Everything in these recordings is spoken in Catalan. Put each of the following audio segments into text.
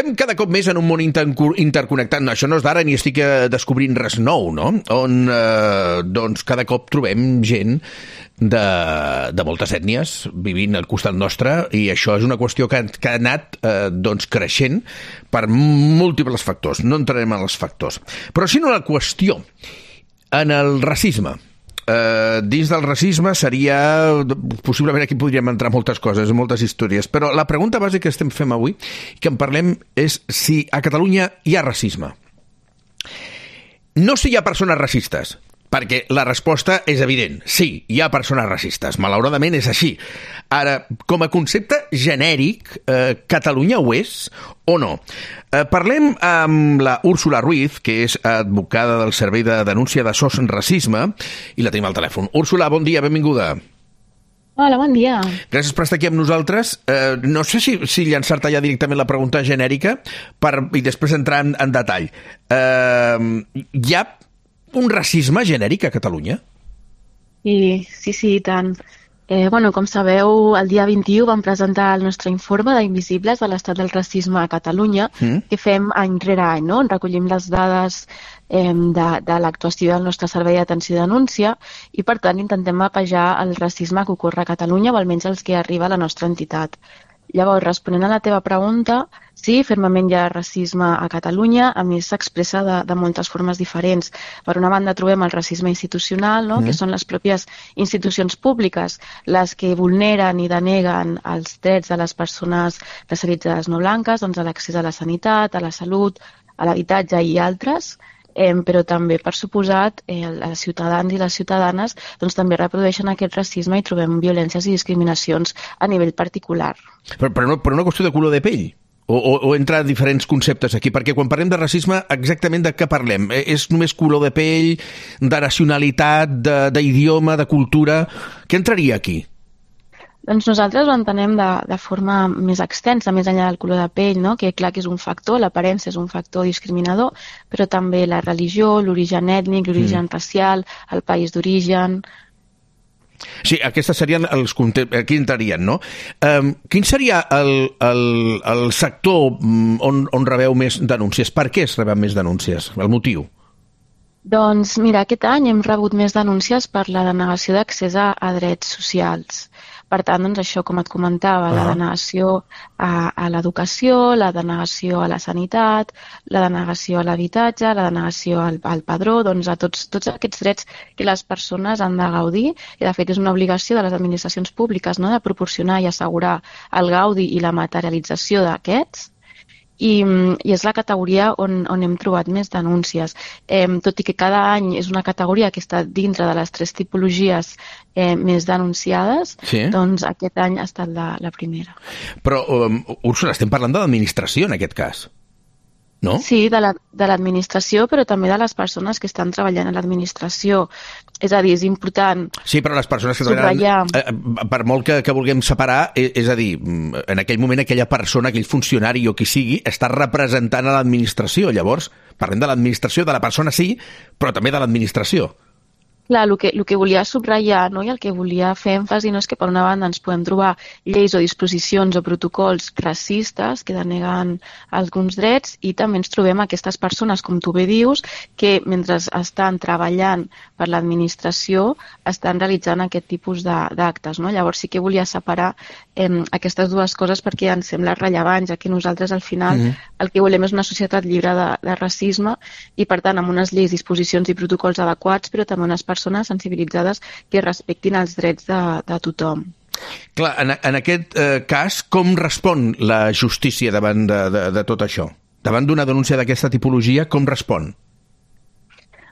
Estem cada cop més en un món interconnectat. No, això no és d'ara ni estic descobrint res nou, no? On doncs cada cop trobem gent de moltes ètnies vivint al costat nostre, i això és una qüestió que ha anat doncs creixent per múltiples factors. No entrarem en els factors. Però si no, la qüestió en el racisme. Dins del racisme seria... Possiblement aquí podríem entrar moltes coses, moltes històries, però la pregunta bàsica que estem fent avui, que en parlem, és si a Catalunya hi ha racisme. No si hi ha persones racistes, perquè la resposta és evident. Sí, hi ha persones racistes. Malauradament és així. Ara, com a concepte genèric, Catalunya ho és o no? Parlem amb la Úrsula Ruiz, que és advocada del Servei de Denúncia de SOS Racisme, i la tenim al telèfon. Úrsula, bon dia, benvinguda. Hola, bon dia. Gràcies per estar aquí amb nosaltres. No sé si llançar-te ja directament la pregunta genèrica i després entrar en detall. Hi ha un racisme genèric a Catalunya? Sí, i tant. Com sabeu, el dia 21 vam presentar el nostre informe d'Invisibles de l'estat del racisme a Catalunya, que fem any rere any, no? On recollim les dades de l'actuació del nostre servei d'atenció i denúncia, i per tant intentem mapejar el racisme que ocorre a Catalunya, o almenys els que arriba a la nostra entitat. Llavors, responent a la teva pregunta, sí, fermament hi ha racisme a Catalunya, a més s'expressa de moltes formes diferents. Per una banda trobem el racisme institucional, no? Que són les pròpies institucions públiques, les que vulneren i deneguen els drets de les persones racialitzades no blanques, doncs a l'accés a la sanitat, a la salut, a l'habitatge i altres. Però també, per suposat, els ciutadans i les ciutadanes doncs, també reprodueixen aquest racisme i trobem violències i discriminacions a nivell particular. Per una qüestió de color de pell? O entra diferents conceptes aquí? Perquè quan parlem de racisme, exactament de què parlem? És només color de pell, de nacionalitat, d'idioma, de cultura? Què entraria aquí? Doncs nosaltres ho entenem de forma més extensa, més enllà del color de pell, no? Que clar que és un factor, l'aparença és un factor discriminador, però també la religió, l'origen ètnic, l'origen racial, el país d'origen. Sí, aquests serien els conceptes, aquí entrarien, no? Quin seria el sector on rebeu més denúncies? Per què es reben més denúncies? El motiu? Doncs mira, aquest any hem rebut més denúncies per la denegació d'accés a drets socials. Per tant, doncs això, com et comentava, la denegació a l'educació, la denegació a la sanitat, la denegació a l'habitatge, la denegació al padró, doncs a tots aquests drets que les persones han de gaudir, i de fet és una obligació de les administracions públiques, no?, de proporcionar i assegurar el gaudi i la materialització d'aquests. I és la categoria on hem trobat més denúncies. Tot i que cada any és una categoria que està dintre de les 3 tipologies més denunciades, doncs aquest any ha estat la primera. Però, Úrsula, estem parlant de l'administració en aquest cas, no? Sí, de l'administració, però també de les persones que estan treballant a l'administració. És a dir, és important... Sí, però les persones que treballen... Per molt que vulguem separar, és a dir, en aquell moment aquella persona, aquell funcionari o qui sigui, està representant a l'administració. Llavors, parlem de l'administració, de la persona sí, però també de l'administració. Clar, el que volia subratllar, no? I el que volia fer èmfasi, no, és que per una banda ens podem trobar lleis o disposicions o protocols racistes que deneguen alguns drets, i també ens trobem aquestes persones, com tu bé dius, que mentre estan treballant per l'administració estan realitzant aquest tipus d'actes, no? Llavors sí que volia separar aquestes dues coses perquè ens sembla rellevant, ja que nosaltres al final el que volem és una societat lliure de racisme, i per tant amb unes lleis, disposicions i protocols adequats, però també unes persones sensibilitzades que respectin els drets de tothom. Clar, en aquest cas, com respon la justícia davant de tot això? Davant d'una denúncia d'aquesta tipologia, com respon?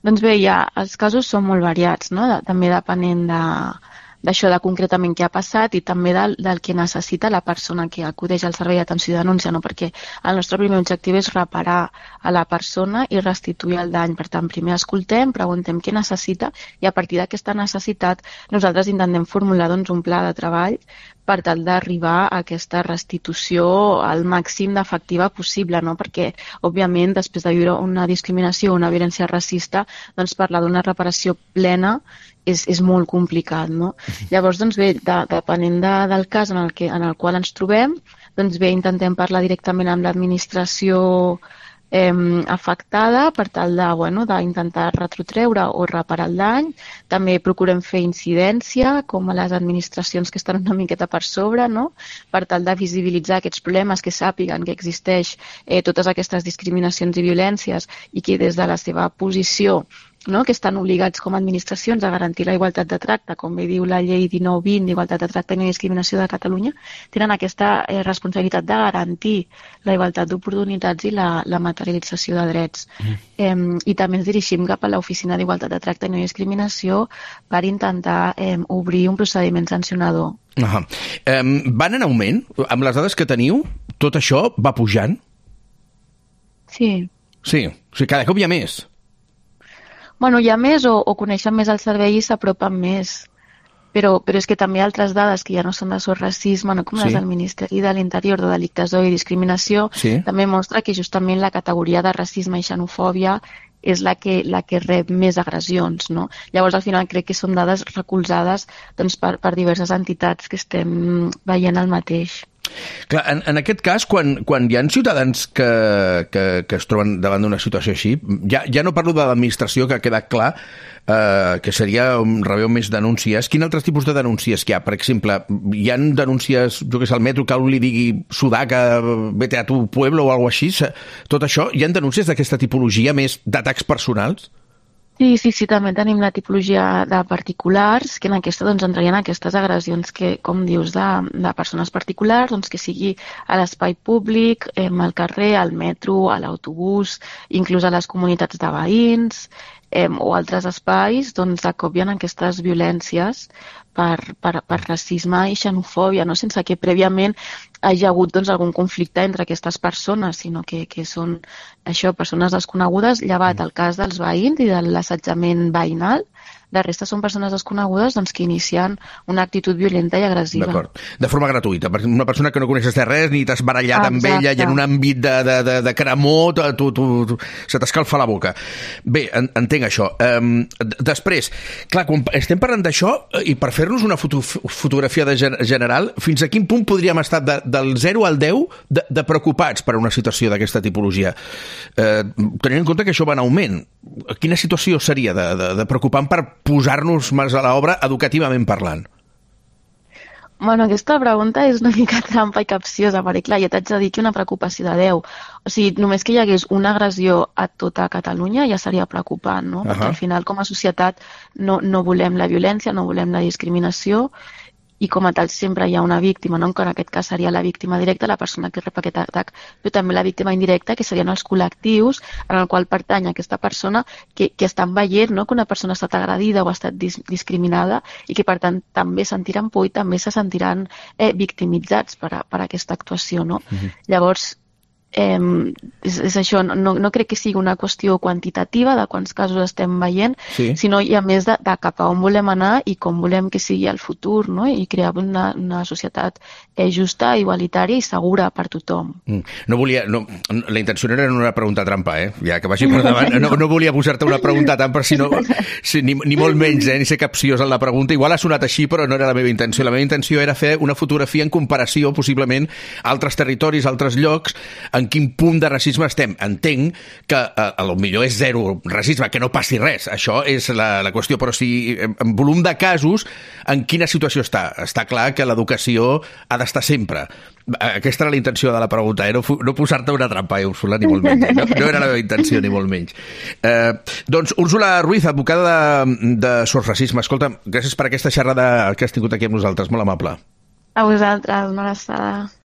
Doncs bé, els casos són molt variats, no? També depenent d'això, de concretament què ha passat, i també del que necessita la persona que acudeix al servei d'atenció i denúncia, no? Perquè el nostre primer objectiu és reparar a la persona i restituir el dany. Per tant, primer escoltem, preguntem què necessita, i a partir d'aquesta necessitat nosaltres intentem formular un pla de treball per tal d'arribar a aquesta restitució al màxim d'efectiva possible, no? Perquè, òbviament, després de viure una discriminació o una violència racista, doncs parlar d'una reparació plena és molt complicat, no? Llavors, doncs bé, depenent del cas en el qual ens trobem, doncs bé, intentem parlar directament amb l'administració afectada per tal d'intentar retrotreure o reparar el dany. També procurem fer incidència, com a les administracions que estan una miqueta per sobre, no? Per tal de visibilitzar aquests problemes, que sàpiguen que existeix totes aquestes discriminacions i violències i que des de la seva posició, no, que estan obligats com a administracions a garantir la igualtat de tracte, com bé diu la llei 1920 d'Igualtat de Tracte i No Discriminació de Catalunya, tenen aquesta responsabilitat de garantir la igualtat d'oportunitats i la materialització de drets. I també ens dirigim cap a l'Oficina d'Igualtat de Tracte i No Discriminació per intentar obrir un procediment sancionador. Van en augment? Amb les dades que teniu, tot això va pujant? Sí. Sí, o sigui, cada cop hi ha més. Bueno, hi ha més o coneixen més el servei i s'apropen més. Però és que també altres dades que ja no són de sol racisme, no, com les del Ministeri de l'Interior de Delictes d'Odi i Discriminació, també mostra que justament la categoria de racisme i xenofòbia és la que rep més agressions, no? Llavors, al final, crec que són dades recolzades per diverses entitats que estem veient el mateix. Clar, en aquest cas, quan hi ha ciutadans que es troben davant d'una situació així, ja no parlo de l'administració, que ha quedat clar que seria rebeu més denúncies. Quin altres tipus de denúncies hi ha? Per exemple, hi ha denúncies, jo que sé, al metro, que algú li digui Sudaca, vete a tu pueblo o alguna cosa així? Tot això, hi ha denúncies d'aquesta tipologia més d'atacs personals? Sí, també tenim la tipologia de particulars, que en aquesta entrarien aquestes agressions que, com dius, de persones particulars, que sigui a l'espai públic, al carrer, al metro, a l'autobús, inclús a les comunitats de veïns o altres espais, de cop hi ha aquestes violències per racisme i xenofòbia, no? Sense que prèviament hi ha hagut algun conflicte entre aquestes persones, sinó que són això, persones desconegudes, llevat el cas dels veïns i de l'assetjament veïnal. La resta són persones desconegudes que inicien una actitud violenta i agressiva. D'acord. De forma gratuïta. Una persona que no coneixes de res, ni t'has barallat amb ella, i en un àmbit de cremor, se t'escalfa la boca. Bé, entenc això. Després, clar, quan estem parlant d'això, i per fer-nos una fotografia general, fins a quin punt podríem estar del 0 al 10 de preocupats per una situació d'aquesta tipologia? Tenint en compte que això va en augment, quina situació seria de preocupant per posar-nos més a l'obra educativament parlant? Bueno, aquesta pregunta és una mica trampa i capciosa, perquè clar, ja t'haig de dir que una preocupació de 10. O sigui, només que hi hagués una agressió a tota Catalunya ja seria preocupant, no? Perquè al final, com a societat, no volem la violència, no volem la discriminació, i com a tal sempre hi ha una víctima, no? Que en aquest cas seria la víctima directa, la persona que rep aquest atac, però també la víctima indirecta, que serien els col·lectius en el qual pertany aquesta persona que estan veient, no? Que una persona ha estat agredida o ha estat discriminada i que per tant també sentiran por i també se sentiran victimitzats per aquesta actuació, no? Llavors, és això, no crec que sigui una qüestió quantitativa de quants casos estem veient, sinó a més de cap a on volem anar i com volem que sigui el futur, no? I crear una societat justa, igualitària i segura per tothom. La intenció no era una pregunta trampa, ja que vagi per davant, no volia posar-te una pregunta trampa, ni molt menys, ni ser capciós en la pregunta. Igual ha sonat així, però no era la meva intenció. La meva intenció era fer una fotografia en comparació, possiblement, a altres territoris, a altres llocs, en quin punt de racisme estem. Entenc que potser és zero racisme, que no passi res, això és la qüestió, però si en volum de casos, en quina situació està? Està clar que l'educació ha d'estar sempre. Aquesta era la intenció de la pregunta, no posar-te una trampa, Úrsula, ni molt menys. No era la meva intenció, ni molt menys. Doncs, Úrsula Ruiz, advocada de Sotsracisme, escolta, gràcies per aquesta xerrada que has tingut aquí amb nosaltres, molt amable. A vosaltres, una abraçada.